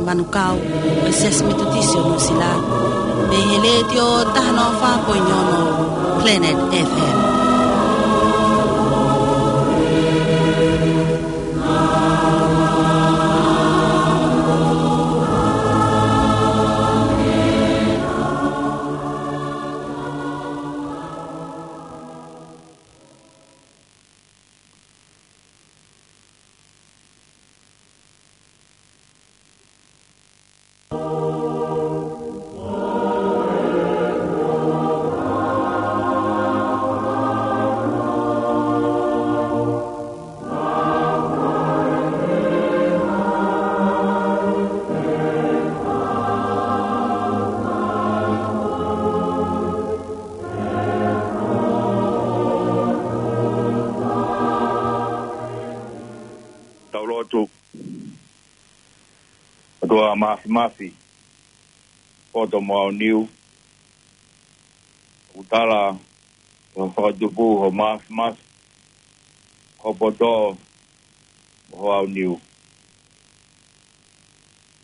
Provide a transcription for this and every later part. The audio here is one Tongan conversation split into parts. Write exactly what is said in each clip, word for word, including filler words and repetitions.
Manukau, ʻo e Siasi Metotisi ʻo Nuʻusila, mei he Letiō taha noa fā poini ono Planet F M. Tau lotu. ʻOtua Māfimafi, poto mo aoniu, ʻoku tala ʻi hoʻo fakatupu hoʻo māfimafi, hoʻo poto mo hoʻo aoniu.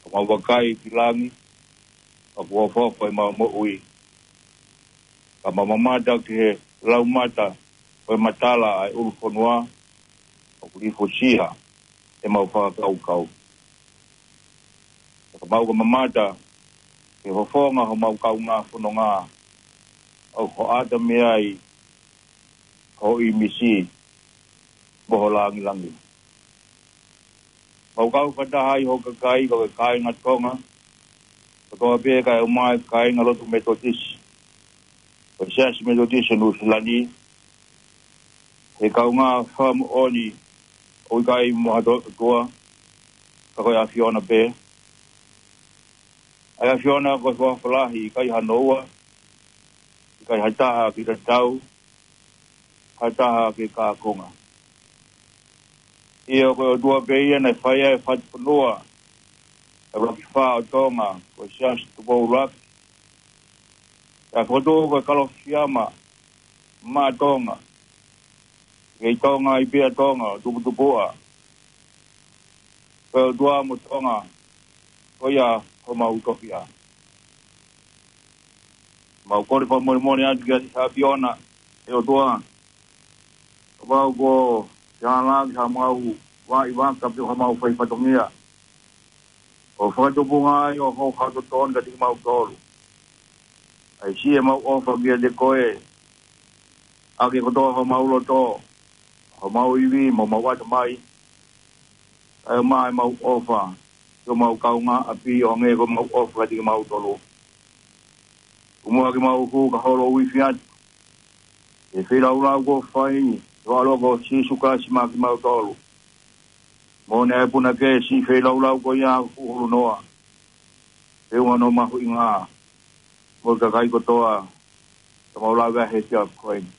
Ka mau vakai ki langi, ʻoku ofoofo ʻemau moʻui. Ka mau mamata ki he laumata ʻo e matala ʻa e ʻulu fonua, ʻoku lifusia ʻemau fakakaukau. Ka mau ka mamata ki he fofonga homau kaungā fononga, ʻoku hoʻata mei ai ho ʻīmisi mo ho langilangi. Mau kau fakataha ai ho kakai, ko e kāinga Tonga kotoa pē, kae ʻumaʻā e kāingalotu Metotisi ʻo e Siasi Metotisi ʻo Nuʻusila ni, he kaungā fakamoʻoni ʻoku ʻikai mo ha to-, ʻOtua, ka ko e ʻAfiona pē. ʻA e ʻAfiona ko e huafa lahi, ʻikai hano ua, ʻikai ha taha ke tatau, ha taha ke kākonga. ʻIo, ko e ʻOtua pē ia naʻe fai ai e fatu fonua ʻe ʻuluaki fā ʻo Tonga, ko e Siasi Tupou ʻUluaki. Pea fokotuʻu ko e Kalofiama Maʻa Tonga. Kei Tonga ai pē ʻa Tonga, tuputupuʻa. Ko e ʻOtua mo Tonga, ko ia homau tofiʻa. Mau kole fakamolemole atu kiate he ʻAfiona, ʻe ʻOtua. Kapau kuo ke ala ki hamau vaʻi vaka pe ko hamau fai fatongia, ʻo fakatupunga ai ʻo hou hau totonu kiate kimautolu. ʻAi siʻi ʻemau ʻofa kiate koe, ʻaki kotoa homau loto, homau ivi, mo homau ʻatamai. Kae ʻumaʻā ʻemau ʻofa ki homau kaungāʻapi ʻo hangē ko ʻemau ʻofa kiate kimautolu. Tomuʻa ke mau hū ka holo uifi atu he feilaulau kuo fai ʻi ho ʻAlo ko Sīsū Kalaisi maʻa kimautolu. Mo ne ʻai puna ke siʻi feilaulau ko ia ʻoku hulu noa, feʻunga hono mahuʻinga mo e kakai kotoa ka mau lave ai he efiafi ko eni.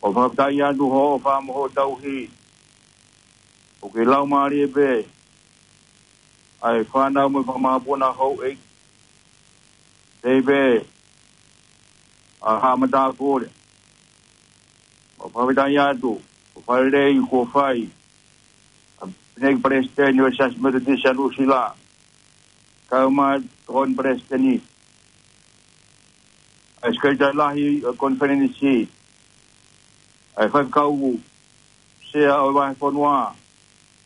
ʻOku fakafetaʻi atu hoʻo ʻofa mo hoʻo tauhi. ʻOku ke laumālie pē ʻa e fānau mo e fakamāpuna houʻeiki. Tei pē ʻa Haʻa Matāpule. ʻOku fakafetaʻi atu ʻa e fakalelei kuo fai ʻa e Palesiteni ʻo e Siasi Metotisi ʻa Nuʻusila, kae ʻumaʻā e Tokoni Palesiteni, ʻa e Sekelitali Lahi ʻo e Konifelenisi, ʻa e Faifekau Sea ʻo e Vahefonua,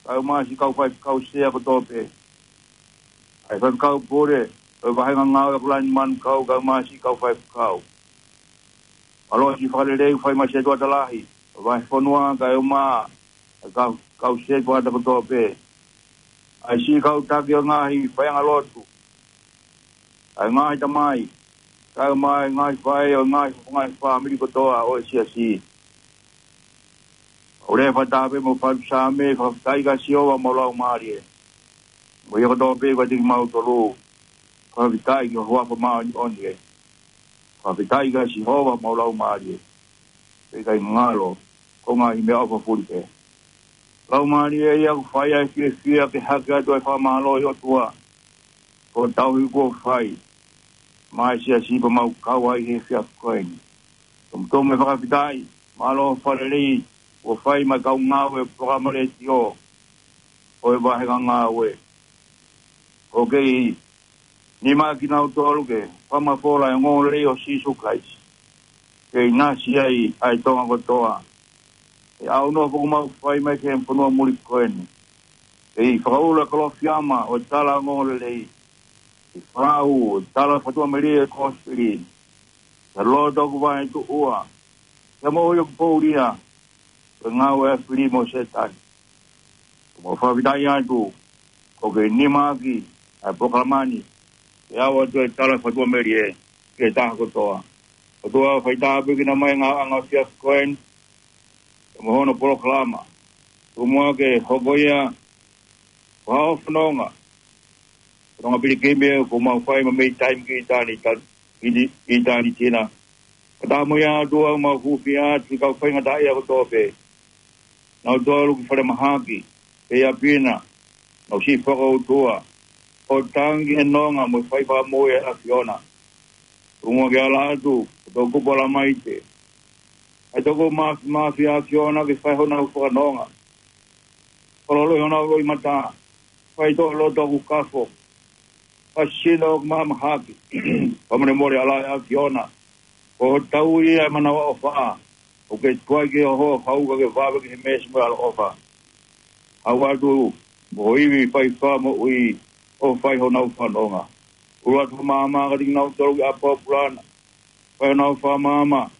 kae ʻumaʻā siʻi kau faifekau sea kotoa pē, ʻa e Faifekau Pule ʻo e Vāhenga Ngāue ʻAokalani Manukau, kae ʻumaʻā siʻi kau faifekau. Mālō siʻi fakalelei ʻoku fai mai siʻi ʻOtua Tokolahi ʻo e Vahefonua, kae ʻumaʻā e kau, kau setuata kotoa pē, ʻa siʻi kau taki ʻo e ngaahi faiʻanga lotu, ʻa e ngaahi tamai, kae ʻumaʻā e ngaahi faʻē ʻo e ngaahi, ngaahi fāmili kotoa ʻo e Siasi. ʻOku ou lea fakataha pē mo e fatu Saame, fakafetaʻi kia Sihova homau laumālie, mo ia kotoa pē ʻoku ʻiate kimautolu. Fakafetaʻi ki ho huafa māʻoniʻoni ē. Fakafetaʻi kia Sihova homau laumālie, pea ʻikai ngalo ki ho ngaahi meʻaʻofa fulipē. Laumālie ia ʻoku fai ʻa e fiefia ke hake atu ʻa e fakamālō ʻi he ʻOtua, ko e tauhi kuo fai maʻa e Siasi pea mau kau ai he efiafi ko eni. Tomutomu e fakafetaʻi, mālō e fakalelei kuo fai maʻa e kau ngāue ʻo e polokalama letiō ʻo e Vāhenga Ngāue. ʻoku kei nima kinautolu ke fakamafola e ongoongolelei ʻo Sīsū Kalaisi. Kei ʻinasi ai ʻa e Tonga kotoa. ʻE ʻaunofo ʻoku mau fai mai ki he fonua muli ko eni. Kei fakaʻulo e Kalofiama ʻo e tala ongoongolelei. Kei fakaʻulo e tala fakatuʻamelie ʻo e Kosipeli. He loto ʻoku vaetuʻua. He moʻui ʻoku poulia. Ko e ngāue ʻa e fili mo Sētane. Mau fakafetaʻi atu, ʻoku kei nima ʻaki ʻa e polokalama ni, ke ʻoatu e tala fakatuʻamelie ki he taha kotoa. ʻOtua, fai tāpuekina mai e ngāueʻanga ʻo e efiafi ko eni, mo hono polokalama. Tuku muʻa ke hoko ia ko ha fononga, fononga pilikimi ʻoku mau fai mei taimi ki ʻitāniti, ki ʻitāniti na. Ka tā mo ia ʻOtua, mau hūfia atu ki he kau faingataʻaʻia kotoa pē. Naʻa nau tolu ki falemahaki, pea ʻi ʻapi na, naʻa nau siʻi fakaʻotua, ʻo tangi he nonga mo e fai fakamoʻui ʻa e ʻAfiona. Tuku muʻa ke ala atu, ʻa e toʻukupu ʻa Lamaite. ʻA e toʻukupu māfimafi ʻa e ʻAfiona ke fai honau fakanonga. Kololo ʻi honau loʻimata, fai toʻo loto ʻoku kafo, fai sino ʻoku mahamahaki, fakamolemole ʻa e ʻAfiona, ko hotau ia ʻa e manavaʻofa, ʻoku ke tuai ke hoho, haʻu ka ke vave ki he meesi mo e ʻaloʻofa. Haʻu atu, mo ho ivi fai fakamoʻui, ʻo fai honau fakanonga. ʻUlu atu ho maama kiate kinautolu ki ʻapi pōpula na, fai honau fakamaama,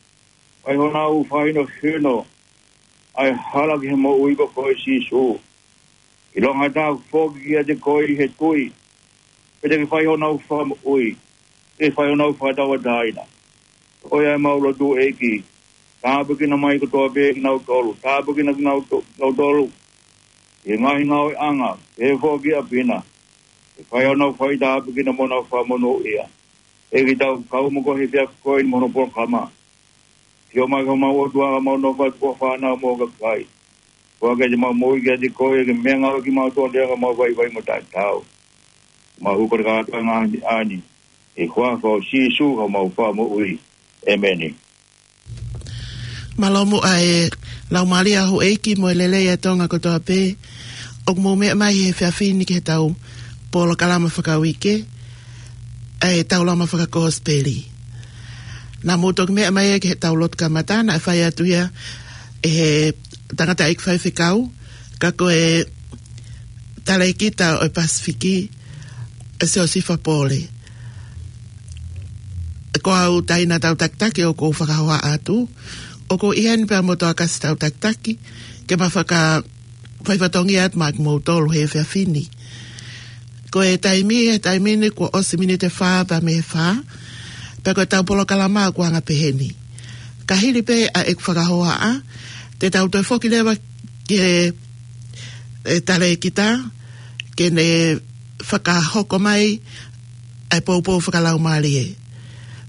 fai honau fakahinohino, ʻa e hala ki he moʻui ko koe Sīsū. ʻIlonga ha taha ʻoku foki kiate koe ʻi he tui, pea te ke fai honau fakamoʻui, te ke fai honau fakatauʻatāina. Ko ia ʻemau lotu ʻEiki, tāpuekina mai kotoa pē kinautolu, tāpuekina kinauto-, kinautolu, ʻi he ngaahi ngāueʻanga, ʻi he foki ʻapi na, ke fai honau fai tāpuekina mo honau fakamonūʻia. ʻEiki, tau kau mo koe he efiafi ko eni mo hono polokalama. Sio mai ki homau ʻOtua, mau nofo atu ko e fānau mo e kakai. Ko ia ke te mau moʻui kiate koe, ke meʻangāueʻaki kimautolu ʻi he anga ʻemau vaivai mo taʻetaau. Mau kole kātoa e ngaahi meʻa ni, ʻi he huafa ʻo Sīsū ko homau Fakamoʻui. ʻEmeni. Mālō muʻa e laumālie ʻa houʻeiki mo e lelei ʻa e Tonga kotoa pē. ʻOku mou meʻa mai he efiafi ni ki heʻetau polokalama fakauike, ʻa e Taulama Fakakosipeli. Naʻa mou toki meʻa mai ia ki heʻetau lotu kamata, naʻe fai atu ia ʻe he tangataʻeiki faifekau, ka ko e talēkita ʻo e Pasifiki, ʻa Siosifa Pole. Ko au Taina Tautakitaki ʻoku ou fakahohaʻa atu. ʻOku ou ʻi heni pea mo Toakasi Tautakitaki, ke ma faka-, faifatongia atu maʻa kimoutolu he efiafi ni. Ko e taimi, he taimi ni kuo ʻosi miniti ʻe fā pea mei he fā, pea ko ʻetau polokalama ʻoku anga peheni. Ka hili pē ʻa ʻeku fakahohaʻa, te tau toe foki leva ki he, e, talēkita, ke ne fakahoko mai ʻa e poupou fakalaumālie.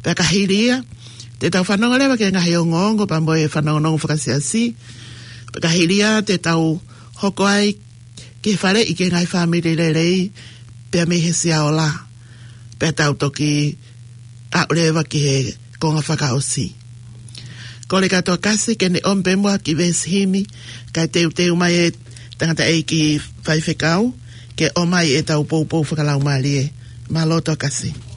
Pea ka hili ia, te tau fanongo leva ki he ngaahi ongoongo, pea mo e fanongonongo fakasiasi. Pea ka hili ia, te tau hoko ai ki he faleʻi ki he ngaahi fāmili lelei, pea mei he Siaola. Pea tau toki aʻu leva ki he konga fakaʻosi. Kole kia Toakasi ke ne ʻomi pē muʻa ha kiʻi veesi himi, kae teuteu mai e tangataʻeiki faifekau, ke ʻomai ʻetau poupou fakalaumālie. Mālō Toakasi.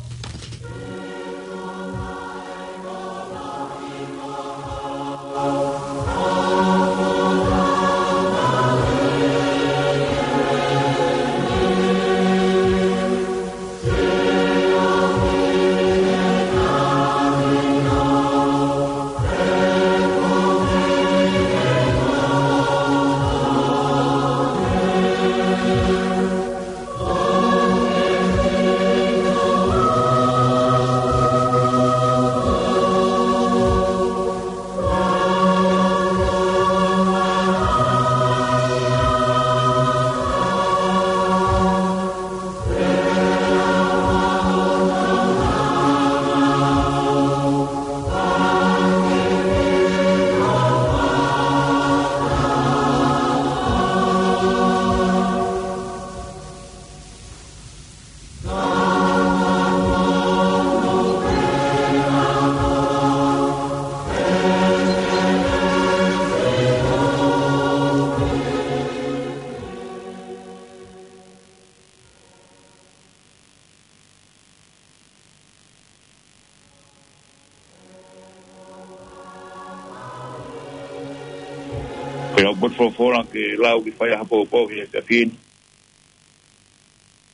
Pea ʻoku ou folofola ke lau ki he faiʻaho poupou he efiafi ni.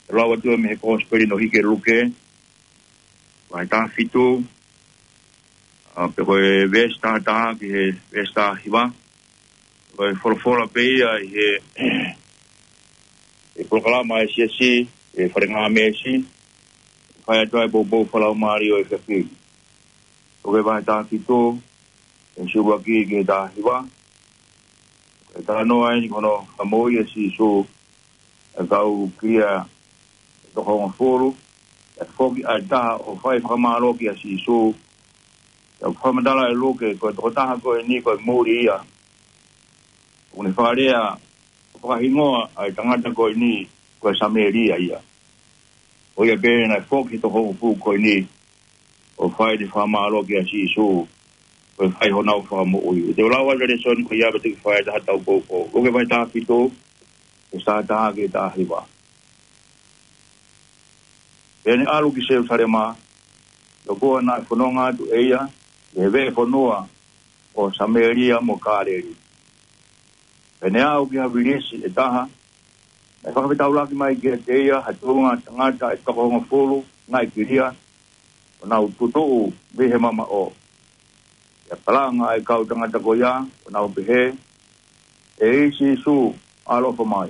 ʻE lau atu mei he Kosipeli naʻe hiki ʻe Luke, vahe taha fitu, ʻa, pea ko e veesi taha taha ki he veesi taha hiva. Ko e folofola pē ia ʻi he, ʻi he polokalama ʻa e siasi, ʻi he fale ngāmesi, faiʻaho ʻa e poupou fakalaumālie ʻo e efiafi ni. Luke vahe taha fitu, veesi ʻuluaki ki he taha hiva. Ko e talanoa ʻeni ki hono fakamoʻui ʻe Sīsū ʻa e kau kilia ʻe toko hongofulu. ʻE foki ʻa e taha ʻo fai fakamālō kia Sīsū. Pea ʻoku fakamatala ʻe Luke, ko e tokotaha ko ʻeni ko e muli ia. ʻOku ne fakalea ʻo fakahingoa ʻa e tangata ko ʻeni ko e Samēlia ia. Ko ia pē naʻe foki he toko hongofulu ko ʻeni ʻo fai ʻene fakamālō kia Sīsū, ko e fai honau fakamoʻui. Te u lau atu e lēsoni ko ia pea te u fai atu ha tau poupou. Luke vahe taha fitu, veesi taha taha ki he taha hiva. Pea ne ʻalu ki Selūsalema, ʻi he kuonga naʻe fononga atu ʻe ia ʻi he veʻe fonua ʻo Samēlia mo Kāleli. Pea ne aʻu ki ha vilisi ʻe taha, naʻe fakafetaulaki mai kiate ia ha tuʻunga tangata ʻe toko hongofulu naʻe kilia, ʻo nau tutuʻu mei he mamaʻo. Pea kalanga ʻa e kau tangata ko ia, ʻo nau pehē, ʻEiki Sīsū, ʻaloʻofa mai.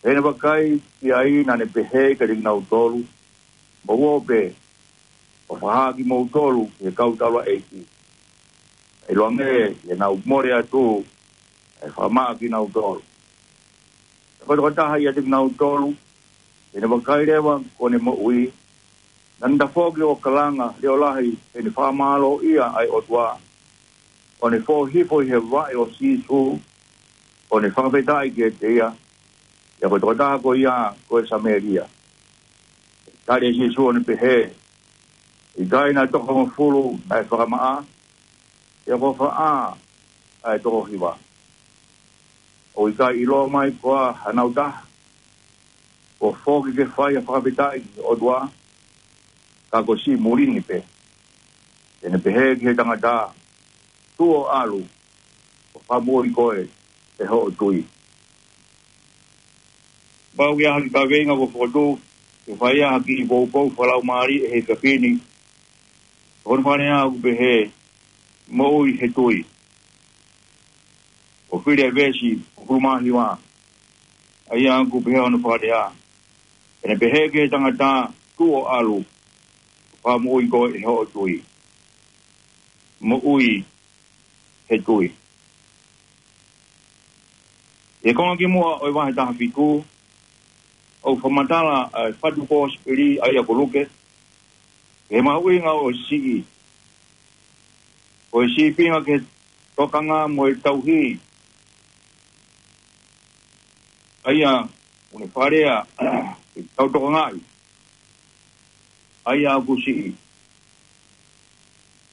Pea ne vakai ki ai, naʻa ne pehē kiate kinautolu, Mou ō pē, ʻo fakahā kimoutolu ki he kau taulaʻeiki. ʻIloange ʻi heʻenau mole atu, ʻe fakamaʻa kinautolu. Pea ko e tokotaha ʻiate kinautolu, ʻi heʻene vakai leva kuo ne moʻui, naʻa ne tafoki ʻo kalanga leʻo lahi heʻene fakamālōʻia ʻa e ʻOtua, ʻo ne fō hifo ʻi he vaʻe ʻo Sīsū, ʻo ne fakafetaʻi kiate ia, pea ko e tokotaha ko ia ko e Samēlia. Tali ʻe Sīsū ʻo ne pehē, ʻIkai naʻe toko hongofulu naʻe fakamaʻa, pea ko fē ʻa e toko hiva? ʻOku ʻikai ʻiloa mai koā hanau taha, kuo foki ke fai ha fakafetaʻi ki he ʻOtua, ka ko siʻi muli ni pē? Pea ne pehē ki he tangata, Tuʻu ʻo ʻalu, ʻo fakamoʻui koe ʻe hoʻo tui. Pau ke ʻi ai ha kiʻi kaveinga kuo fokotuʻu ke fai ai ha kiʻi poupou fakalaumālie he efiafi ni. Ko hono fakalea ʻoku pehē, Moʻui he tui. ʻOku fili ʻa e veesi hongofulu mā hiva, ʻa ia ʻoku pehē hono fakalea, Pea ne pehē ki he tangata, Tuʻu ʻo ʻalu, ʻo fakamoʻui koe ʻe hoʻo tui. Moʻui he tui. ʻI he konga kimuʻa ʻo e vahe taha fitu, ʻoku fakamatala ʻa e fatu Kosipeli ʻa ia ko Luke, he mahuʻinga ʻo e siʻi. Ko e sīpinga ki he tokanga mo e tauhi, ʻa ia ʻoku ne fakalea ke tau tokangaʻi ʻa ia ʻoku siʻi.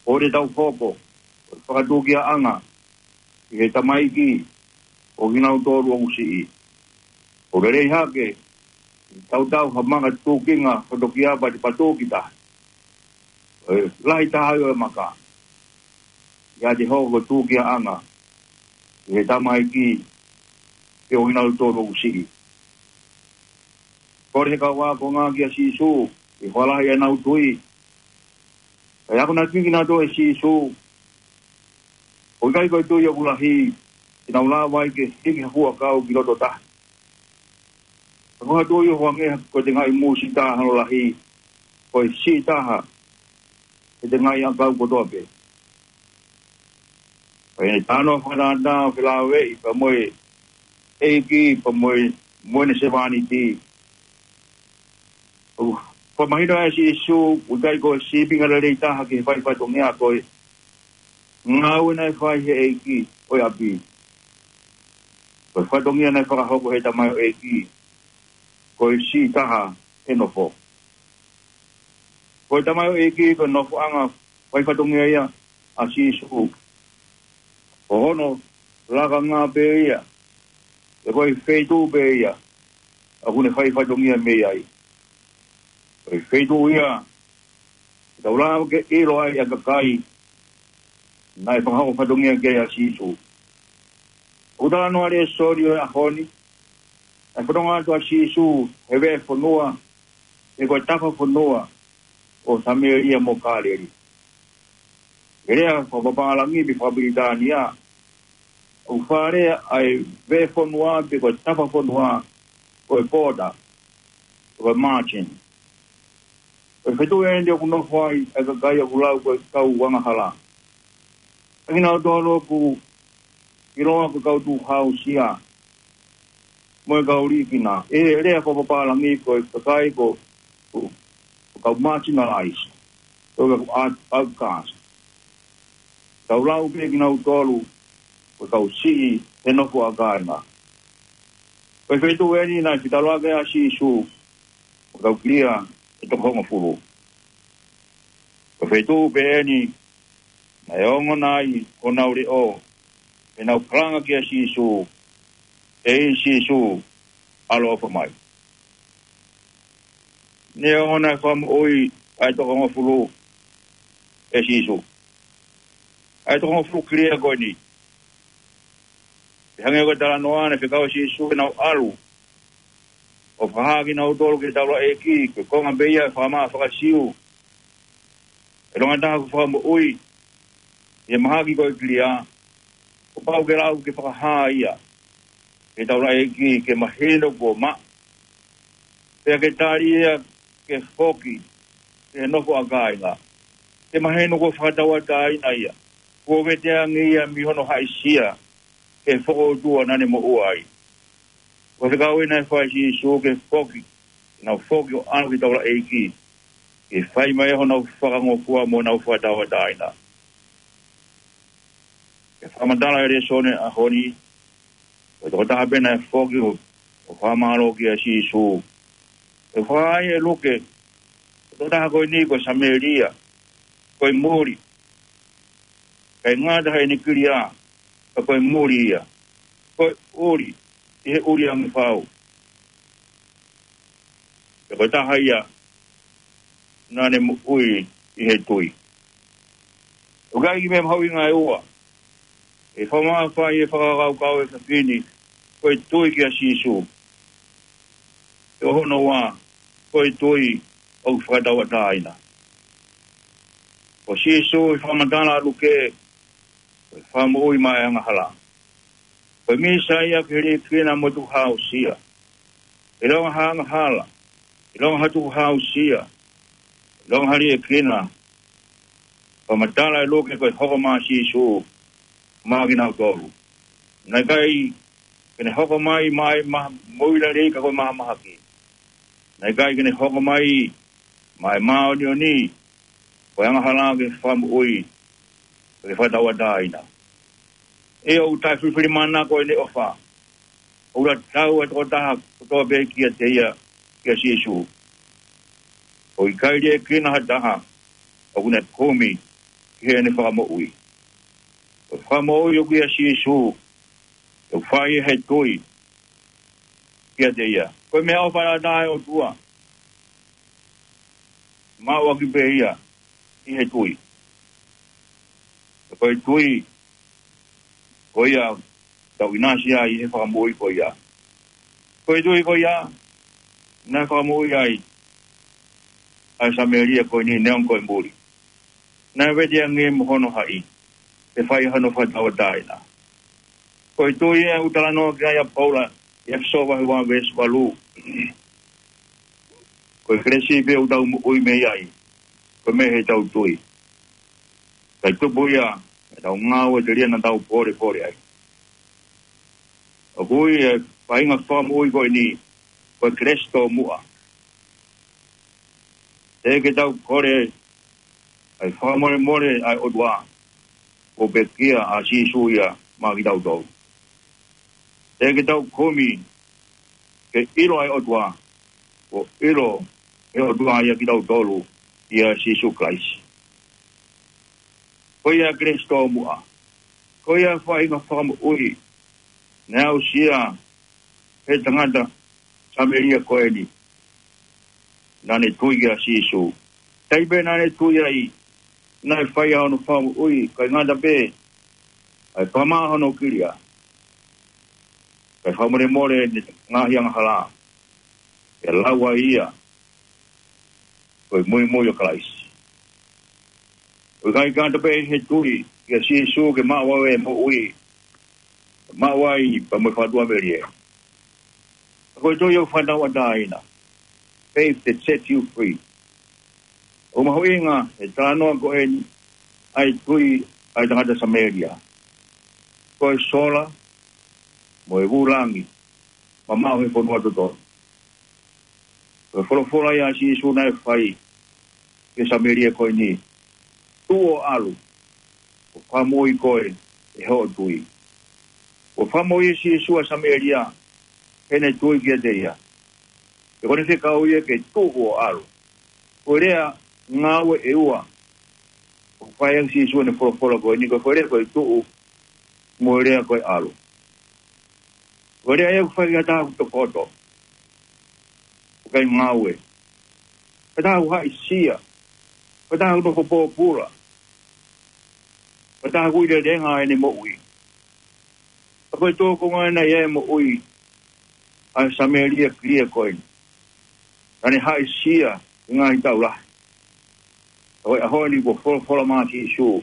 ʻOku tau hoko ko e fakatūkiaʻanga ki he tamaiki ʻo kinautolu ʻoku siʻi. ʻOku lelei hake ke tau tau ha maka tūkinga hoto kia pati patuki taha. ʻOku lahi taha ʻo e maka ia te hoko ko e tūkiaʻanga ki he tamaiki ʻo kinautolu ʻoku siʻi. Kole he kau ākonga kia Sīsū ke fakalahi ʻenau tui. Pea ʻoku na kiki nautolu ʻe Sīsū, ʻOku ʻikai ko e tui ʻoku lahi te nau lava ai ke hiki ha fuʻu ʻakau ki loto tahi. Ka ko ha tui ʻoku hangē ko e tengaʻi mūsita hono lahi, ko e siʻi taha he tengaʻi ʻakau kotoa pē. Pea ʻi heʻene talanoa fakatātā ʻo felāveʻi pea mo e ʻEiki pea mo e, mo ʻene sevāniti, ʻoku fakamahino ʻe Sīsū ʻoku ʻikai ko e sīpinga lelei taha ki he fai fatongia ko e ngāue naʻe fai he ʻeiki ʻo e ʻapi. Ko e fatongia naʻe fakahoko he tamaioʻeiki ko e siʻi taha he nofo. Ko e tamaioʻeiki ko e nofoʻanga fai fatongia ia ʻa Sīsū. Ko hono lakanga pē ia, ʻe ko e feituʻu pē ia ʻoku ne fai fatongia mei ai. Ko e feituʻu ia ʻe tau lava ke ʻilo ai ʻa e kakai naʻe fakahoko fatongia ki ai ʻa Sīsū. ʻOku talanoa lēsoni ʻo e ʻaho ni, ʻa e fononga atu ʻa Sīsū he veʻe fonua, he ko e tapa fonua ʻo Samēlia mo Kāleli. He lea fakapapālangi pe fakapilitānia, ʻoku fakalea ʻa e veʻe fonua pe ko e tapa fonua ko e border, ko e margin. Ko e feituʻu eni ʻoku nofo ai ʻa e kakai ʻoku lau ko e kau angahala. ʻA kinautolu ʻoku ʻiloa ko e kau tukuhāusia mo e kau liʻekina. ʻI he lea fakapapālangi ko e kakai ko, ko, ko e kau marginalized, ko e kau out-, outcast. Tau lau pē kinautolu ko e kau siʻi he nofo ʻa kāinga. Ko e feituʻu eni naʻe fetaulaki ai ʻa Sīsū mo e kau kilia ʻe toko hongofulu. Ko e feituʻu pē eni naʻe ongona ai honau leʻo, pea nau kalanga kia Sīsū, ʻEiki Sīsū, ʻaloʻofa mai. Ne ongona e fakamoʻui ʻa e toko hongofulu ʻe Sīsū. ʻA e toko hongofulu kilia ko eni. Pea hangē ko e talanoa naʻe fekau ʻe Sīsū ke nau ʻalu ʻo fakahā kinautolu ki he taulaʻeiki, ko e konga pē ia ʻo e fakamaʻa faka-Siu. ʻIlonga ha taha ʻoku fakamoʻui ʻi he mahaki ko e kilia, kuo pau ke lau ke fakahā ia ki he taulaʻeiki ke mahino kuo maʻa, pea ke tali ia ke foki ki he nofo ʻa kāinga, ke mahino kuo fakatauʻatāina ia, kuo veteange ia mei hono haʻisia ki he fokoutua naʻa ne moʻua ai. Ko e fekau eni naʻe fai ʻe Sīsū ke foki, ke nau foki ʻo ʻalu ki he taulaʻeiki, ke fai mai honau fakangofua mo honau fakatauʻatāina. Ke fakamatala e lēsoni ʻo e ʻaho ni, ko e tokotaha pē naʻe foki ʻo, ʻo fakamālō kia Sīsū. ʻOku fakahā ʻe Luke, ko e tokotaha ko eni ko e Samēlia, ko e muli. ʻIkai ngata heʻene kilia, ka ko e muli ia. Ko e ʻuli ʻi he ʻuli ange fau. Pea ko e taha ia naʻa ne moʻui ʻi he tui. ʻOku ʻi ai e kiʻi meʻa mahuʻinga ʻe ua ʻe fakamamafa ʻi he fakakaukau ʻa e efiafi ni, ko e tui kia Sīsū. Pea ko hono ua, ko e tui ʻoku fakatauʻatāina. Ko Sīsū ʻi he fakamatala ʻa Luke, ko e fakamoʻui maʻa e angahala. Ko e Mīsaia ki he liʻekina mo e tukuhāusia. ʻIlonga ha angahala, ʻilonga ha tukuhāusia, ʻilonga ha liʻekina, fakamatala ʻe Luke ko e hoko mai ʻa Sīsū maʻa kinautolu. Naʻe ʻikai ke ne hoko mai maʻa e maha-, moʻui lelei ka ko e mahamahaki. Naʻe ʻikai ke ne hoko mai maʻa e māʻoniʻoni, ko e angahala ke fakamoʻui, ke fakatauʻatāina. ʻE ʻoku taʻefilifilimānako ʻene ʻofa. ʻOku tatau ʻa e tokotaha kotoa pē kiate ia, kia Sīsū. ʻOku ʻikai liʻekina ha taha ʻoku ne kumi ki heʻene fakamoʻui. Ko e fakamoʻui ʻoku ʻia Sīsū, ʻoku fai he tui kiate ia. Ko e meʻaʻofa ʻataʻatā ʻa e ʻOtua, maʻu ʻaki pē ia ʻi he tui. Ko e tui ko ia ʻoku tau ʻinasi ai ʻi he fakamoʻui ko ia. Ko e tui ko ia naʻe fakamoʻui ai ʻa e Samēlia ko eni, neongo ko e muli. Naʻe veteange mo hono haʻi, ke fai hono fakatauʻatāina. Ko e tui ʻoku talanoa ki ai ʻa Paula ʻi ʻEfesō vahe ua veesi valu. Ko e kelesi pē ʻoku tau moʻui mei ai, ko e meʻa heʻetau tui. Kae tupu ia ʻi heʻetau ngāue telia naʻa tau pōlepole ai. ʻOku ui e faʻahinga fakamoʻui ko eni ko e kelesi tōmuʻa. Teʻeki ke tau kole ʻa e fakamolemole ʻa e ʻOtua, kuo pekia ʻa Sīsū ia maʻa kitautolu. Teʻeki ke tau kumi ke ʻilo ʻa e ʻOtua, kuo ʻilo ʻe he ʻOtua ia kitautolu ʻia Sīsū Kalaisi. Ko ia kelesi tōmuʻa. Ko ia faʻahinga fakamoʻui naʻe aʻusia ʻe he tangata Samēlia ko eni naʻa ne tui kia Sīsū. Taimi pē naʻa ne tui ai, naʻe fai hono fakamoʻui, ʻikai ngata pē ʻa e fakamaʻa hono kilia, Kae fakamolemole ʻene ngaahi angahala, pea lau ai ia ko e muimui ʻo Kalaisi. ʻOku ʻikai ke ngata pē he tui kia Sīsū ke maʻu ai e moʻui, maʻu ai pea mo e fakatuʻamelie. Ka ko e tui ʻoku fakatauʻatāina. Faith that sets you free. ʻOku mahuʻinga he talanoa ko eni ʻa e tui ʻa e tangata Samēlia. Ko e sola mo e vūlangi mamaʻo he fonua totonu. Ko e folofola ia ʻa Sīsū naʻe fai ki he Samēlia ko eni: Tuʻu ʻo ʻalu, kuo fakamoʻui koe ʻe hoʻo tui. Kuo fakamoʻui ʻe Sīsū ʻa Samēlia heʻene tui kiate ia. Pea ko ʻene fekau ia ke tuʻu ʻo ʻalu. Ko e lea ngāue ʻe ua ʻoku fai ʻaki ʻe Sīsū ʻene folofola ko eni, ko e foʻi lea ko e tuʻu mo e lea ko e ʻalu. Ko e lea ia ʻoku fai ki ha taha ʻoku tokoto, ʻoku ʻikai ngāue, ha taha ʻoku haʻisia, ha taha ʻoku nofo pōpula, ha taha ʻoku ʻi he lelenga ʻene moʻui. Ka ko e tō ko ē naʻe ʻi ai e moʻui ʻa e Samēlia kilia ko eni, naʻa ne haʻisia he ngaahi taʻu lahi. Ka ko e ʻaho ni kuo folofola mai ʻa Sīsū,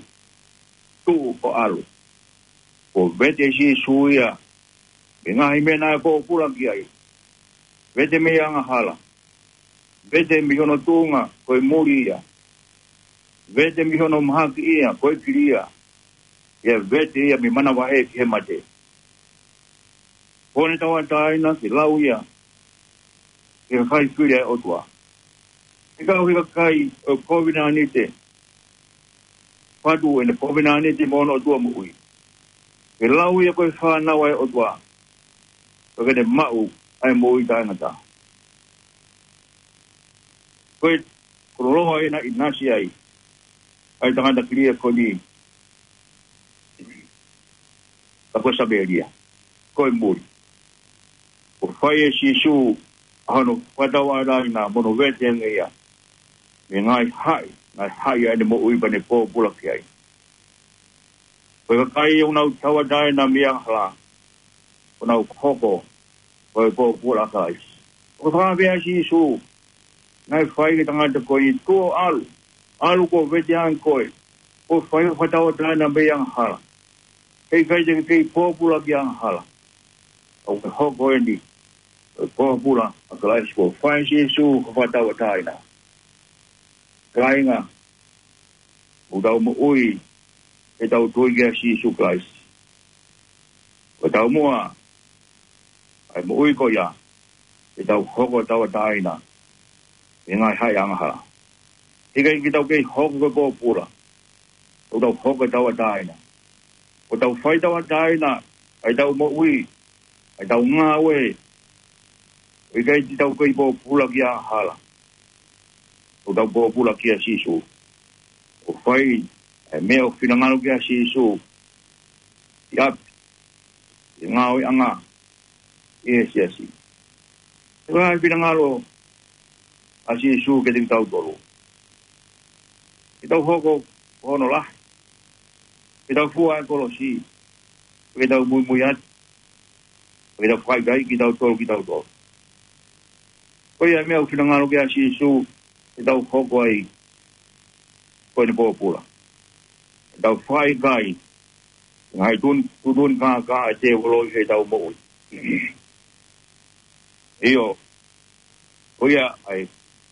tuʻu ʻo ʻalu. Kuo vete ʻe Sīsū ia mei he ngaahi meʻa naʻe pōpula ki ai. Vete mei he angahala. Vete mei hono tuʻunga ko e muli ia. Vete mei hono mahaki ia ko e kilia. Pea vete ia mei he manavahē ki he mate. Kuo ne tauʻatāina ke lau ia ki he kakai fili ʻa e ʻOtua. He ka ʻoku ʻi he kakai ʻoku kovinānite, fatu ʻene kovinānite mo hono ʻOtua moʻui, ke lau ia ko e fānau ʻa e ʻOtua, pea ke ne maʻu ʻa e moʻui taʻengata. Ko e koloa ʻena ʻinasi ai ʻa e tangata kilia ko eni, ka ko e Samēlia, ko e muli. Kuo fai ʻe Sīsū ʻa hono fakatauʻatāina mo hono vete ange ia mei he ngaahi haʻi, ngaahi haʻi ʻa ʻene moʻui pea ne pōpula ki ai. Ko e kakai ʻoku nau tauʻatāina mei he angahala, ʻoku nau hoko ko e pōpula ʻa Kalaisi. ʻOku fakapea ʻa Sīsū naʻe fai ki he tangata ko eni, tuʻu ʻo ʻalu. ʻAlu, kuo vete ange koe. Kuo fai hoʻo fakatauʻatāina mei he angahala. Heʻikai te ke kei pōpula ki he angahala. ʻOku ke hoko eni ko e pōpula ʻa Kalaisi. Kuo fai ʻe Sīsū hoʻo fakatauʻatāina. Kāinga, ʻoku tau moʻui he tau tui kia Sīsū Kalaisi. Ko e taumuʻa ʻa e moʻui ko ia, ke tau hoko tauʻatāina mei he ngaahi haʻi angahala. Heʻikai ke tau kei hoko ko e pōpula, ʻo tau hoko tauʻatāina. ʻO tau fai tauʻatāina ʻa e tau moʻui, ʻa e tau ngāue, ʻo ʻikai te tau kei pōpula ki he angahala. ʻO tau pōpula kia Sīsū. ʻO fai ʻa e meʻa ʻoku finangalo ki ai ʻa Sīsū, ʻi ʻapi, ʻi he ngāueʻanga, ʻi he siasi. Ko e hā e finangalo ʻa Sīsū kiate kitautolu? Ke tau hoko ko hono lahi, ke tau fua e kolosi, ke tau muimui atu, ke tau fakaʻikaiʻi kitautolu kitautolu. Ko ia e meʻa ʻoku finangalo ki ai ʻa Sīsū ke tau hoko ai ko ʻene pōpula. Ke tau fakaʻikaiʻi e ngaahi tun-, tuʻutuʻuni kākā ʻa e tēvolo ʻi he tau moʻui. ʻIo, ko ia ai,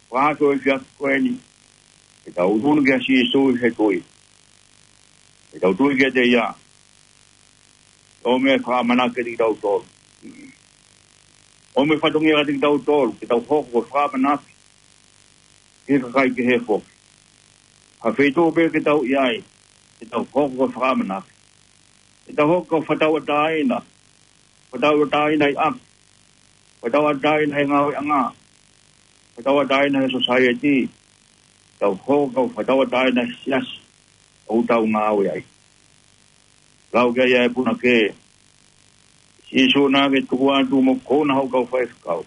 fakahoko e efiafi ko eni, ke tau ʻunu kia Sīsū ʻi he tui. Ke tau tui kiate ia, ʻo meʻa fakaʻamanaki kiate kitautolu. ʻO meʻa fatongia kiate kitautolu, ke tau hoko ko e fakaʻamanaki ki he kakai kehe foki. Ha feituʻu pē ke tau ʻi ai, ke tau hoko ko e fakaʻamanaki. Ke tau hoko ko e fakatauʻatāina, fakatauʻatāina ʻi ʻapi, fakatauʻatāina he ngāueʻanga, fakatauʻatāina he sōsaieti, tau hoko ko e fakatauʻatāina he siasi ʻoku tau ngāue ai. Lau ki ai ʻa e punake, Sīsū naʻa ke tuku atu mo kouna hoʻo kau faifekau.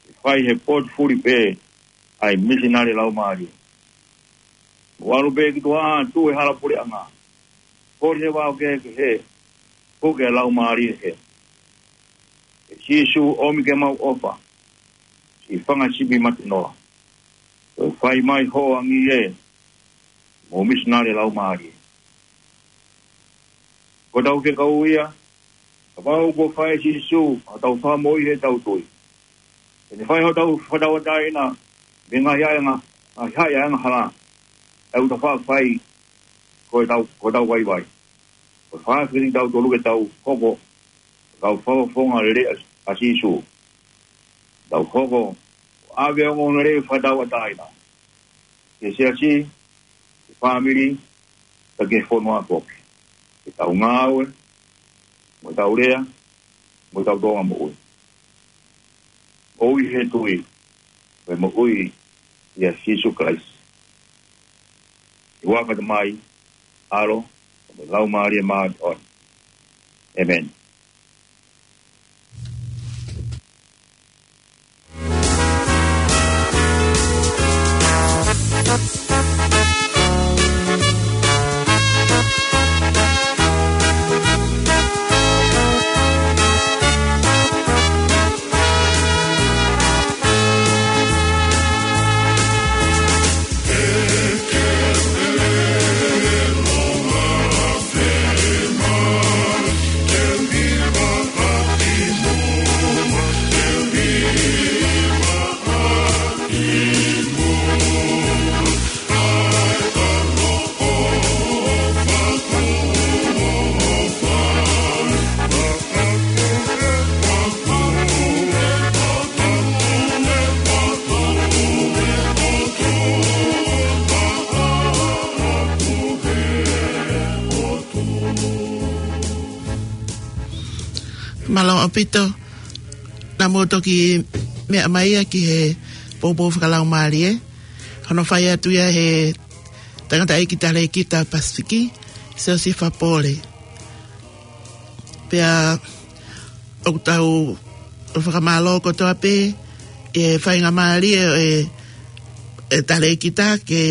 Ke fai he potu fuli pē ʻa e misinale laumālie. Mo ʻalu pē ki tuʻa atu he hala puleʻanga. Kole he vao kehekehe, puke e laumālie hē. Sīsū, ʻomi ke mau ʻofa, siʻi fanga sipi matenoa. Ko e fai mai hoʻo angi ē, mo misinale laumālie. Ko hotau fekau ia, kapau kuo fai ʻe Sīsū hotau fakamoʻui heʻetau tui, te ne fai hotau fakatauʻatāina mei he ngaahi ʻaenga, ngaahi haʻi ʻa e angahala, ʻa ia ʻoku tau faʻa fai ko ʻetau, ko ʻetau vaivai. Ko e fakaafeʻi kitautolu ke tau hoko ko e kau fakafofonga lelei ʻa, ʻa Sīsū. Tau hoko ko e ʻave ʻo e ongoongolelei fakatauʻatāina ki he siasi, ki he fāmili, pea ki he fonua foki. Ke tau ngāue, mo tau lea, mo tau tōʻonga moʻui. Moʻui he tui, mo e moʻui ʻia Sīsū Kalaisi. ʻI he huafa ʻo e Tamai, ʻAlo, mo e Laumālie Māʻoniʻoni. ʻĒmeni. Mālō ʻaupito, naʻa mou toki meʻa mai ia ki he poupou fakalaumālie. Hono fai atu ia he tangataʻeiki talēkita Pasifiki, Siosifa Pole. Pea ʻoku tau fakamālō kotoa pē ʻi he faingamālie ʻo e, e talēkita ke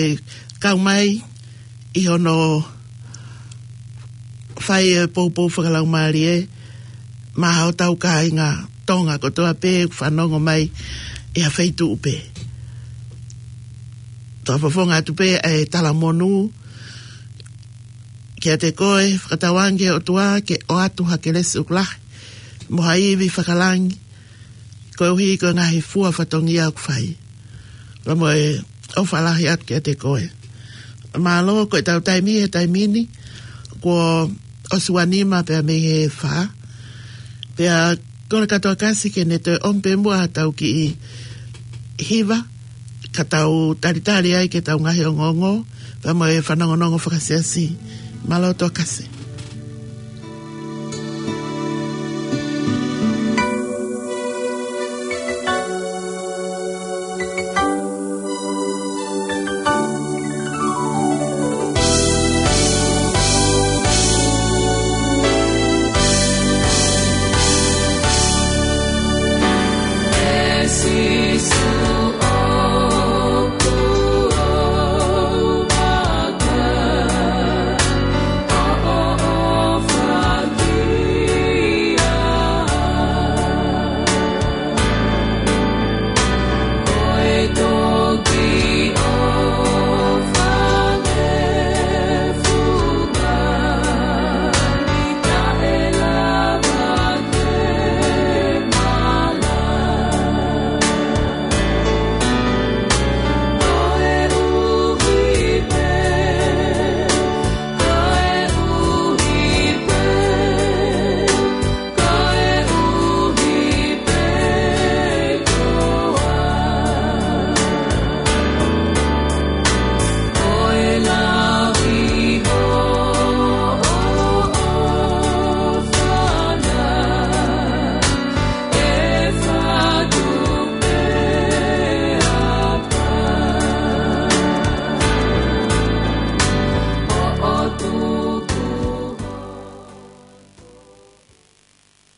kau mai ʻi hono fai e poupou fakalaumālie maʻa hotau kāinga Tonga kotoa pē ʻoku fanongo mai ʻi ha feituʻu pē. Tau fakafofonga atu pē e talamonū kiate koe, fakatauange ki he ʻOtua ke ʻoatu ha kelesi ʻoku lahi mo ha ivi fakalangi, koeʻuhi ko e ngaahi fua fatongia ʻoku fai. Pea mo e ʻofa lahi atu kiate koe. Mālō, ko ʻetau taimi he taimi ni, kuo ʻosi ua nima pea mei he fā. Pea kole kātoa Kasi ke ne toe ʻomi pē muʻa haʻatau kiʻi hiva, ka tau talitali ai ki heʻetau ngaahi ongoongo, pea mo e fanongonongo fakasiasi. Mālō toa Kasi.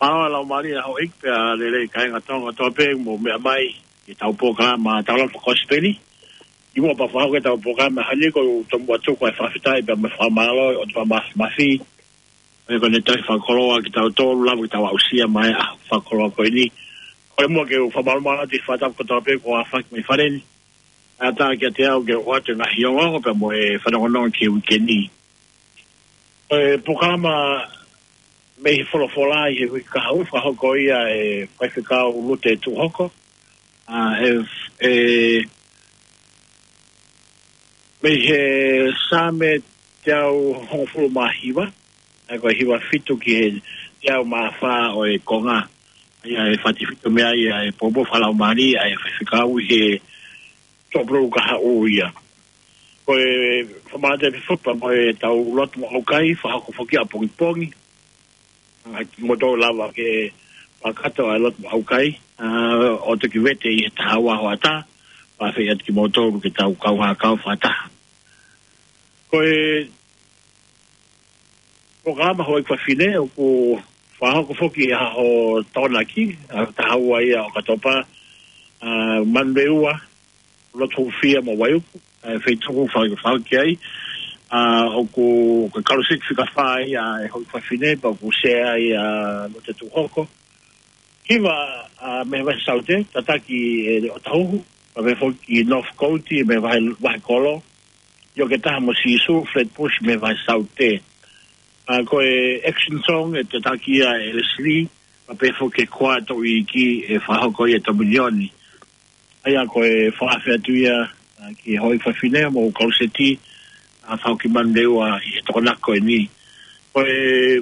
Mālō e laumālie ʻa houʻeiki pea lelei kāinga Tonga kotoa pē mou meʻa mai ki heʻetau polokalama Tau Lava Kosipeli. ʻI muʻa pea fakahoko ʻetau polokalama he ʻaho ni, ʻoku ou tomuʻa tuku ʻa e fakafetaʻi pea mo e fakamālō ʻi he ʻOtua Māfimafi, Ko e ko ʻene tauhi fakakoloa kitautolu, lava ke tau aʻusia mai ʻa e fakakoloa ko eni. Ko e muʻa ke u fakamālō atu he fakatapu kotoa pē kuo aofaki mai fale ni. ʻAtā kiate au ke u ʻoatu e ngaahi ongoongo pea mo e fanongonongo ki he uike ni. Ko e polokalama mei he folofola ʻi he uike kahaʻu, fakahoko ia ʻe Faifekau Lute Tuʻuhoko. ʻA, ʻe, ʻe, mei he Saame teau hongofulu mā hiva, ʻa ia ko e hiva fitu ki he teau mā fā ʻo e konga. ʻA ia ʻe fakatefito mei ai ʻa e poupou fakalaumālie ʻa e faifekau ʻi he tōpulu kahaʻu ia. Ko e fakamālō atu pē foki pea mo e tau lotu mo ʻaukai, fakahoko foki ʻapongipongi. ʻA, kimoutolu lava ke fakakakato ʻa e lotu mo ʻaukai, ʻa, ʻo toki vete ʻi he taha ua hoʻatā, pea fai atu kimoutolu ke tau kau hākau fakataha. Ko e polokalama Houʻeiki Fafine ʻoku fakahoko foki ʻi he ʻaho Tokonaki, ʻa, taha ua ia ʻo ʻOkatopa, ʻa, Manurewa, Lotofia mo Vaiuku, ʻa e feituʻu faka-, fakahoko ai, ʻa, ʻoku, ko e kaluseti fika fā ia ʻa e Houʻeiki Fafine, pea ʻoku sea ai ʻa Lute Tuʻuhoko. Hiva, ʻa, mei he vahe Saute, tataki ʻe ʻOtahuhu, pea pehē foki ki Northcote, mei he vahe, vahe Kolo, ʻIo ke Taha mo Sīsū, Flatbush mei he vahe Saute. ʻA, ko e action song ʻe tataki ia ʻe Leslie, pea pehē foki ki he Koa Toʻu Iiki ʻe fakahoko ia ʻe Tominioni. ʻA ia ko e fakaafe atu ia, ʻa, ki he Houʻeiki Fafine mo e kaluseti, ʻa, fakahoko ʻi Manurewa ʻi he Tokonaki ko eni. Ko e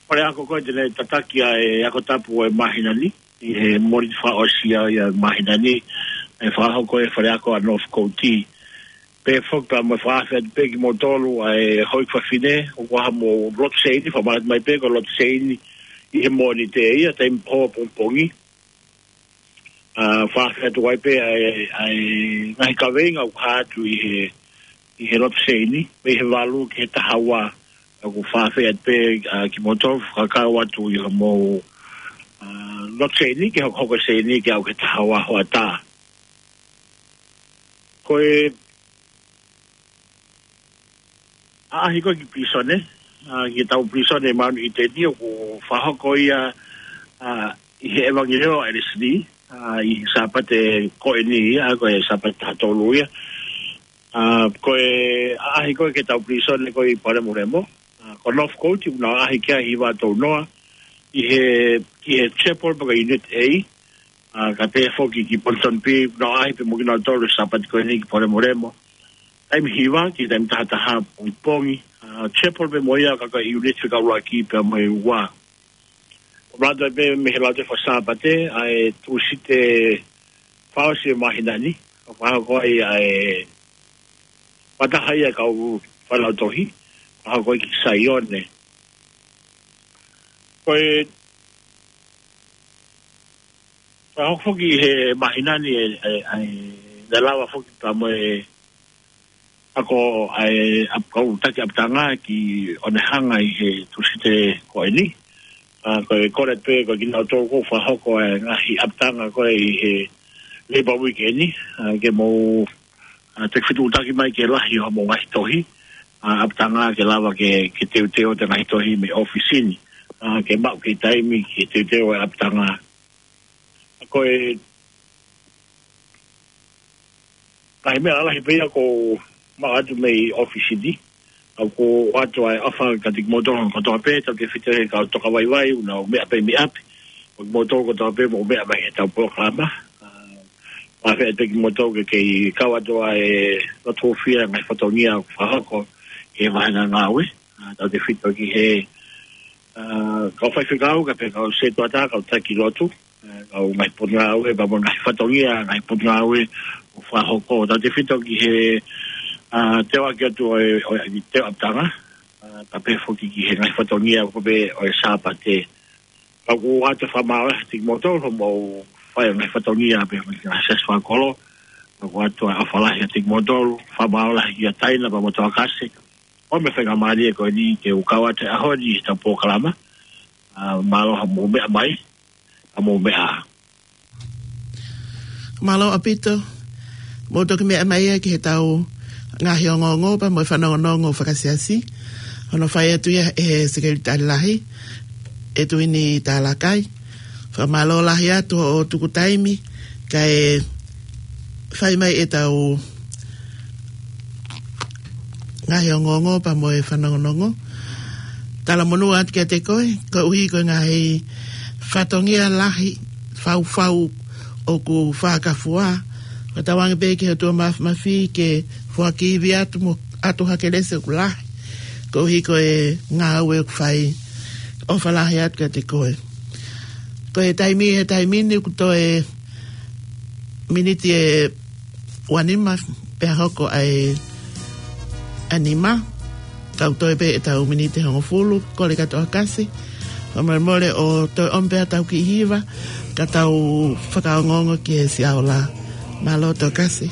faleako ko ē te ne tataki ʻa e ako tapu ʻo e māhina ni, ʻi he Mōnite fakaʻosi ia ʻo e māhina ni, ʻe fakahoko ʻe he faleako ʻa Northcote. Pea foki pea mo e fakaafe atu pē kimoutolu ʻa e Houʻeiki Fafine, ʻoku ʻi ai hamou lotu seini, fakamālō atu mai pē ko e lotu seini ʻi he Mōnite ia, taimi pō pongipongi. ʻA, fakaafe atu ai pē ʻa e, ʻa e ngaahi kaveinga ʻoku hā atu ʻi he, ʻi he lotu seini, mei he valu ki he taha ua, ʻoku fakaafe atu pē, ʻa, kimoutolu fakakau atu ʻi hoʻomou, ʻa, lotu seini, ke hokohoko seini ke aʻu ki he taha ua hoʻatā. Ko e ʻaʻahi ko ē ki pilīsone, ʻa, ki heʻetau pilīsone ʻi Maun ʻi Teni ʻoku fakahoko ia, ʻa, ʻi he ʻevangeliō ʻa ʻEletini, ʻa, ʻi he Sāpate ko eni ia, ko e Sāpate taha tolu ia. ʻA, ko e ʻaʻahi ko ē ki heʻetau pilīsone ko ē ʻi Palemolemo, ʻa, ko Northcote, ʻoku nau ʻaʻahi ki ai ʻi he hiva tolu noa, ʻi he, ki he chapel pe ko e Unit A, ʻa, kae pehē foki ki Ponsonby, ʻoku nau ʻaʻahi pē mo kinautolu he Sāpate ko eni ki Palemolemo. Taimi hiva ki he taimi taha taha pongipongi, ʻa, chapel pē mo ia ka ko e unit fika ʻuluaki pea mo e ua. ʻOku ʻomai atu pē mei he Lautohi Faka-Sāpate, ʻa e Tūsite fakaʻosi ʻo e māhina ni, ʻoku fakahoko ai ʻa e fakataha ia ʻa e kau fakalautohi, fakahoko ai ki Saione. Ko e fakahoko foki he māhina ni ʻa e, ʻa e, ʻa e, naʻe lava foki pea mo e ako ʻa e ʻap-, kau taki ʻapitanga ki Onehunga ʻi he Tūsite ko eni. ʻA, ko e kole pē ko kinautolu ʻoku fakahoko e ngaahi ʻapitanga ko ē ʻi he Labour Week eni, ʻa, ke mou, ʻa, takifetuʻutaki mai ki he lahi ʻo hoʻomou ngaahi tohi, ʻa, ʻapitanga ke lava ke, ke teuteu atu e ngaahi tohi mei he ʻōfisi ni, ʻa, ke maʻu kei taimi ke teuteu e ʻapitanga. ʻA, ko e ngaahi meʻa lalahi pē ia ʻoku maʻu atu mei he ʻōfisi ni. ʻOku ou ʻoatu ʻa e ʻofa kiate kimoutolu kotoa pē, tautefito ki he kau tokavaivai, ʻoku nau meʻa pē mei ʻapi. Mo kimoutolu kotoa pē, mou meʻa mai ki heʻetau polokalama. ʻA, fakaafe atu pē kimoutolu ke kei kau atu ʻa e lotu hūfia ngaahi fatongia ʻoku fakahoko he vāhenga ngāue. ʻA, tautefito ki he, ʻa, kau faifekau, kae pehē kau sētuata, kau taki lotu. ʻA, kau ngaahi potungāue, pea mo e ngaahi fatongia, ngaahi potungāue ʻoku fakahoko. Tautefito ki he, ʻa, teuaki atu ʻo e, ʻo e, ʻa e teu ʻapitanga. ʻA, kae pehē foki ki he ngaahi fatongia ko ē ʻo e Sāpate. Ka ʻoku ou ʻoatu e fakamālō lahi kiate kimoutolu, hoʻomou fai e ngaahi fatongia pea mo e ngaahi siasi fakakolo. Ka ʻoku ou ʻoatu e ʻofa lahi kiate kimoutolu, fakamālō lahi kia Taina pea mo Toakase. ʻOmi e faingamālie ko eni ke u kau atu he ʻaho ni heʻetau polokalama. ʻA, mālō hoʻomou meʻa mai, ʻa, mou meʻa ā. Mālō ʻaupito. Mou toki meʻa mai ia ki heʻetau ngaahi ongoongo pea mo e fanongonongo fakasiasi. Hono fai atu ia ʻe he Sekelitali Lahi, ʻEtuini Talakai. Fakamālō lahi atu hoʻo tuku taimi, kae fai mai ʻetau ngaahi ongoongo pea mo e fanongonongo. Talamonū atu kiate koe, koeʻuhi ko e ngaahi fatongia lahi, faufau ʻoku fakafua. Fakatauange pē ki he ʻOtua Mafimafi ke foaki ivi atu mo ʻatu ha kelesi ʻoku lahi. Koeʻuhi ko e ngāue ʻoku fai, ʻofa lahi atu kiate koe. Ko e taimi, he taimi ni ʻoku toe miniti ʻe uanima pea hoko ai ʻa e nima. Kau toe pē ʻetau miniti ʻe hongofulu, kole kātoa Kasi. Fakamolemole ʻo toe ʻomi pē ʻetau kiʻi hiva, ka tau fakaongoongo ki he Siaola. Mālō Tokasi.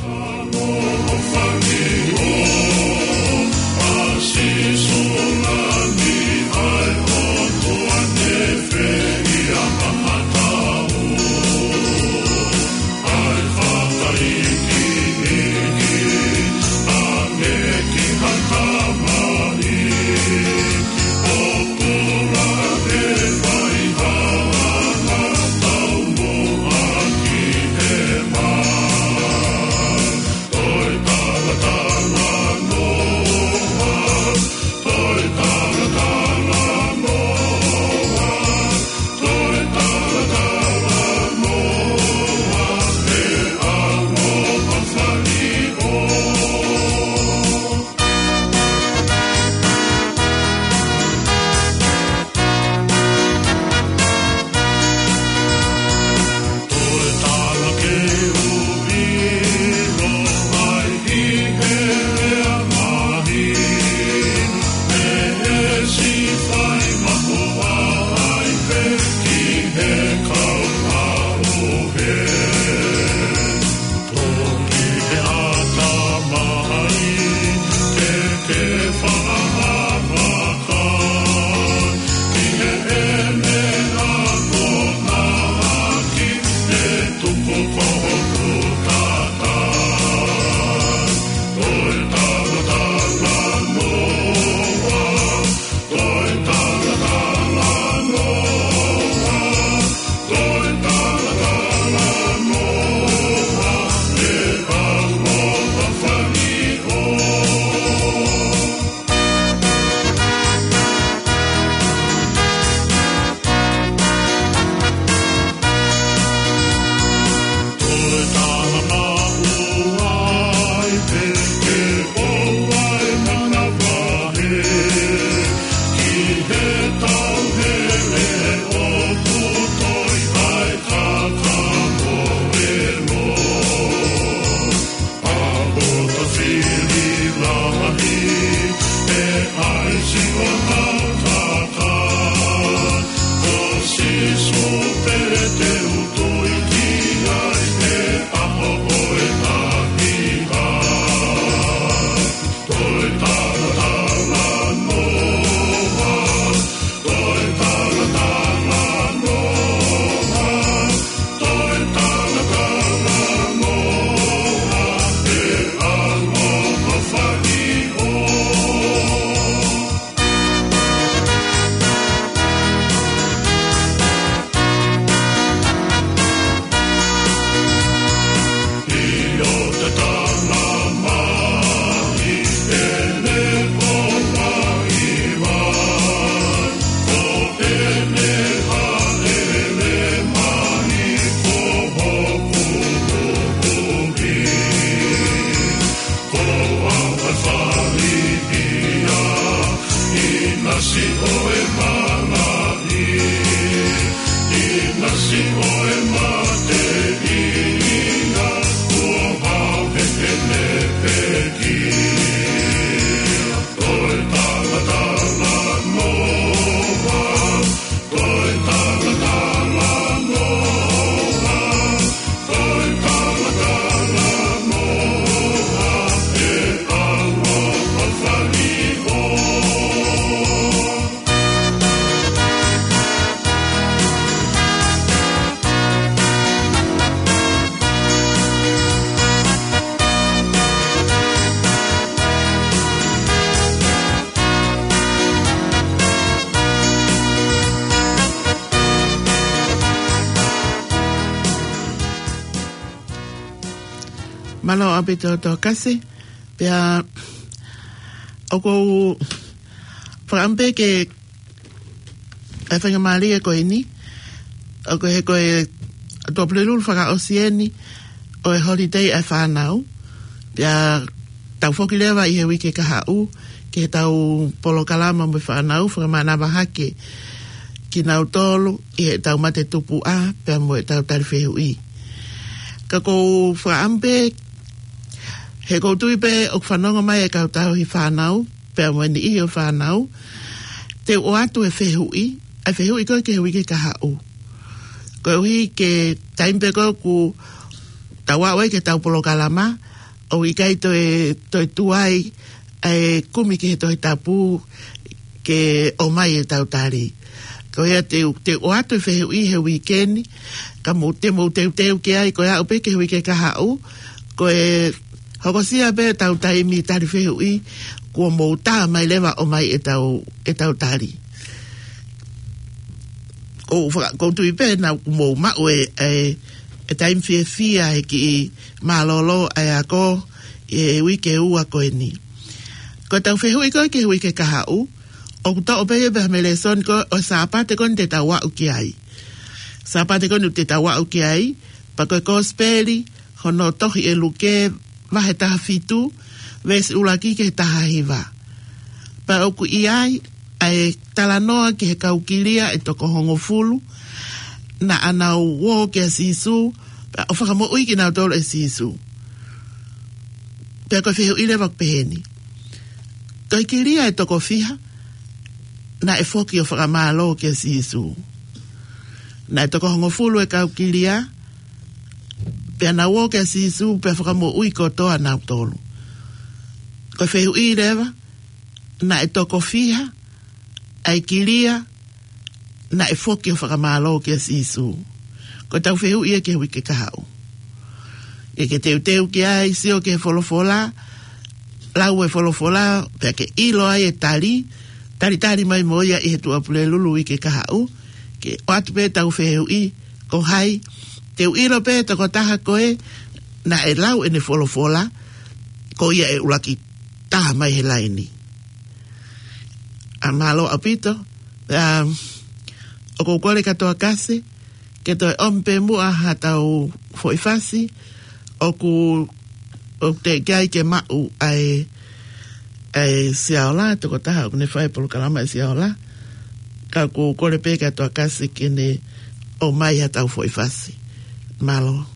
Mālō ʻaupito Tokasi, pea ʻoku ou fakaʻamu pē ke ʻai e faingamālie ko eni, ʻoku he ko e Tuʻapulelulu fakaʻosi eni ʻo e holiday ʻa e fānau. Pea tau foki leva ʻi he uike kahaʻu ki heʻetau polokalama mo e fānau, fakamānava hake kinautolu ʻi heʻetau mate tupuʻa pea mo ʻetau tali fehuʻi. Ka ʻoku ou fakaʻamu pē, he ʻoku ou tui pē ʻoku fanongo mai e kau tauhi fānau pea mo e niʻihi ʻo e fānau, te u ʻoatu e fehuʻi, ʻa e fehuʻi ko ē ki he uike kahaʻu. Koeʻuhi ko e taimi pē ko ē ʻoku tau aʻu ai ki heʻetau polokalama, ʻoku ʻikai toe, toe tuai ʻa e kumi ki he Tohi Tapu ke ʻomai ʻetau tali. Ko ia te u, te u ʻoatu e fehuʻi he uike ni, ka mou, te mou teuteu ki ai, ko e aʻu pē ki he uike kahaʻu, ko e hokosia pē ʻetau taimi tali fehuʻi, kuo mou tā mai leva ʻo ʻomai ʻetau, ʻetau tali. ʻOku ou faka-, ʻoku ou tui pē naʻa mou maʻu e, e, e taimi fiefia he kiʻi mālōlō ʻa e ako ʻi he uike ua ko eni. Ko ʻetau fehuʻi ko ē ki he uike kahaʻu, ʻoku toʻo pē ia pē mei he lēsoni ko ē ʻo e Sāpate ko eni te tau aʻu ki ai. Sāpate ko eni te tau aʻu ki ai, pea ko e Kosipeli hono tohi ʻe Luke, vahe taha fitu, veesi ʻuluaki ki he taha hiva. Pea ʻoku ʻi ai ʻa e talanoa ki he kau kilia ʻe toko hongofulu naʻa nau ō kia Sīsū, pea ʻo fakamoʻui kinautolu ʻe Sīsū. Pea ko e fehuʻi leva ʻoku peheni: Ko e kilia ʻe toko fiha naʻe foki ʻo fakamālō kia Sīsū? Naʻe toko hongofulu e kau kilia, pea nau ō kia Sīsū, pea fakamoʻui kotoa nautolu. Ko e fehuʻi leva, naʻe toko fiha ʻa e kilia naʻe foki ʻo fakamālō kia Sīsū? Ko ʻetau fehuʻi ia ki he uike kahaʻu. Ke ke teuteu ki ai, sio ki he folofola, lau e folofola, pea ke ʻilo ai e tali, talitali mai mo ia ʻi he Tuʻapulelulu uike kahaʻu, ke ʻoatu pē ʻetau fehuʻi, ko hai, te u ʻilo pē tokotaha ko ē naʻe lau ʻene folofola, ko ia ʻe ʻuluaki taha mai he laini. ʻA, mālō ʻaupito, ʻa, ʻoku ou kole kia Tokasi ke toe ʻomi pē muʻa haʻatau foʻi fasi, ʻoku, ʻoku teʻeki ai ke maʻu ʻa e, ʻa e Siaola, tokotaha ʻoku ne fai e polokalama ʻa e Siaola, ka ʻoku ou kole pē kia Tokasi ke ne ʻomai haʻatau foʻi fasi. Mālō.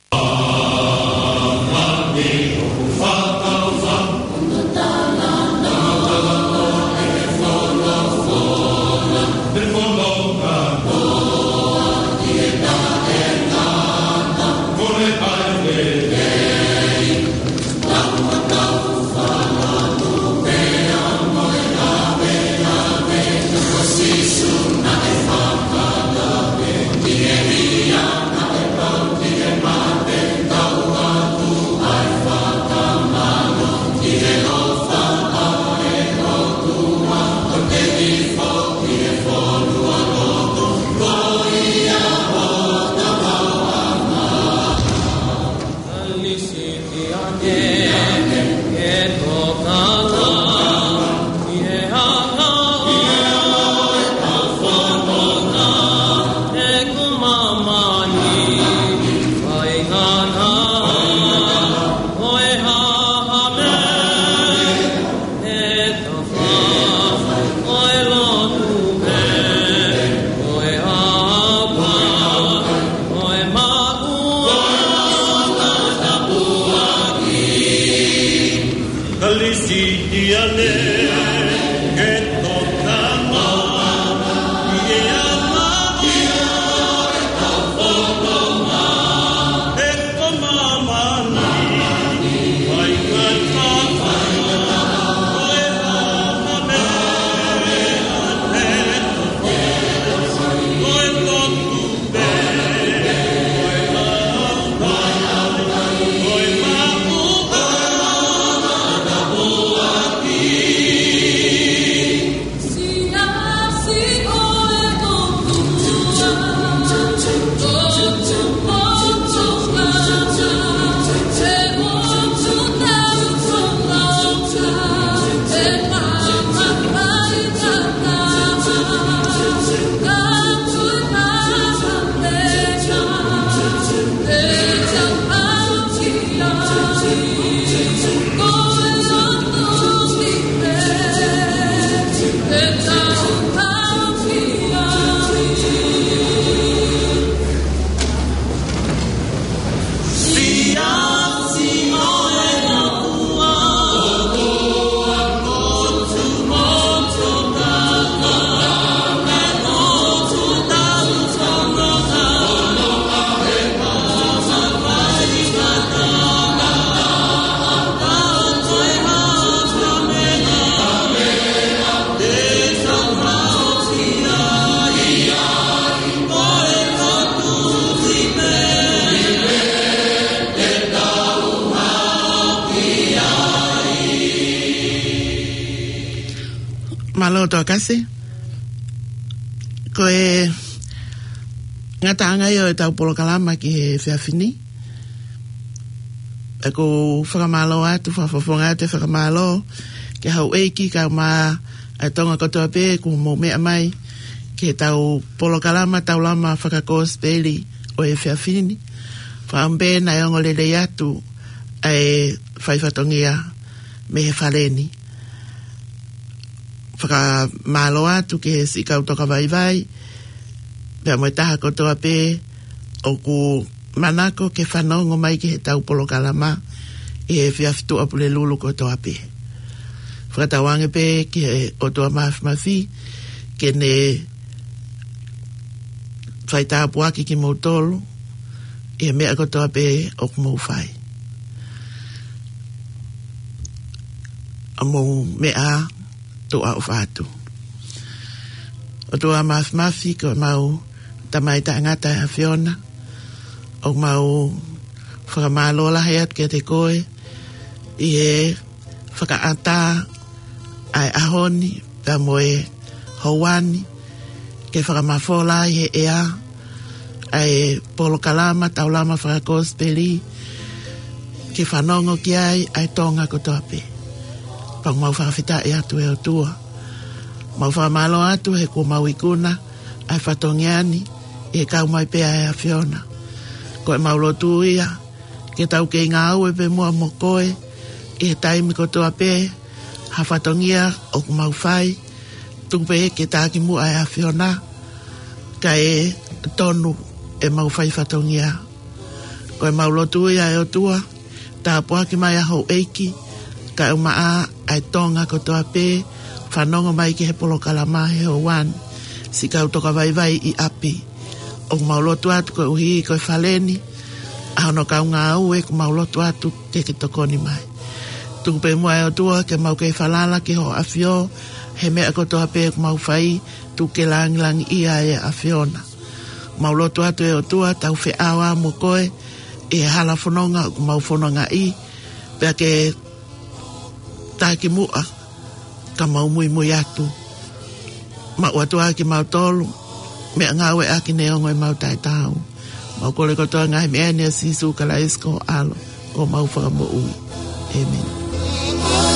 Mālō Toa Kasi. Ko e ngataʻanga ia ʻo ʻetau polokalama ki he efiafi ni. ʻOku ou fakamālō atu, fakafofonga atu e fakamālō ki he houʻeiki kae ʻumaʻā e Tonga kotoa pē kuo mou meʻa mai ki heʻetau polokalama Taulama Fakakosipeli ʻo e efiafi ni. Fakaʻamu pē naʻe ongo lelei atu ʻa e faifatongia mei he fale ni. Fakamālō atu ki he siʻi kau tokavaivai, pea mo e taha kotoa pē ʻoku manako ke fanongo mai ki heʻetau polokalama ʻi he efiafi Tuʻapulelulu kotoa pē. Fakatauange pē ki he ʻOtua Mafimafi ke ne fai tāpuaki kimoutolu ʻi he meʻa kotoa pē ʻoku mou fai. ʻA mou meʻa tuʻa ʻofa atu. ʻOtua Mafimafi, ko ʻemau Tamai taʻengata ʻa e ʻAfiona, ʻoku mau fakamālō lahi atu kiate koe ʻi he fakaʻatā ʻa e ʻaho ni pea mo e houa ni, ke fakamafola ʻi he ʻea ʻa e polokalama Taulama Fakakosipeli, ke fanongo ki ai ʻa e Tonga kotoa pē. Pea ʻoku mau fakafetaʻi atu ʻe ʻOtua. Mau fakamālō atu he kuo mau ikuna ʻa e fatongia ni ʻi he kau mai pē ʻa e ʻAfiona. Ko ʻemau lotu ia ke tau kei ngāue pē muʻa mo koe ʻi he taimi kotoa pē, ha fatongia ʻoku mau fai, tuku pē ke taki muʻa ʻa e ʻAfiona, kae tonu ʻemau faifatongia. Ko ʻemau lotu ia ʻe ʻOtua, tāpuaki mai ʻa houʻeiki kae ʻumaʻā ʻa e Tonga kotoa pē, fanongo mai ki he polokalama he houa ni, siʻi kau tokavaivai ʻi ʻapi. ʻOku mau lotu atu koeʻuhi ko e fale ni, ʻa hono kau ngāue, ʻoku mau lotu atu ke ke tokoni mai. Tuku pē muʻa ʻe ʻOtua ke mau kei falala ki hoʻo ʻAfio he meʻa kotoa pē ʻoku mau fai, tuku ke langilangiʻia ʻa e ʻAfiona. Mau lotu atu ʻe ʻOtua, tau feʻao mo koe ʻi he hala fononga ʻoku mau fonongaʻi, pea ke taki muʻa ka mau muimui atu. Mau ʻoatu ʻa kimautolu, meʻangāueʻaki neongo ʻemau taʻetaau. Mau kole kotoa ngaahi meʻa ni ʻia Sīsū Kalaisi ko ho ʻAlo, ko homau Fakamoʻui. ʻĒmeni.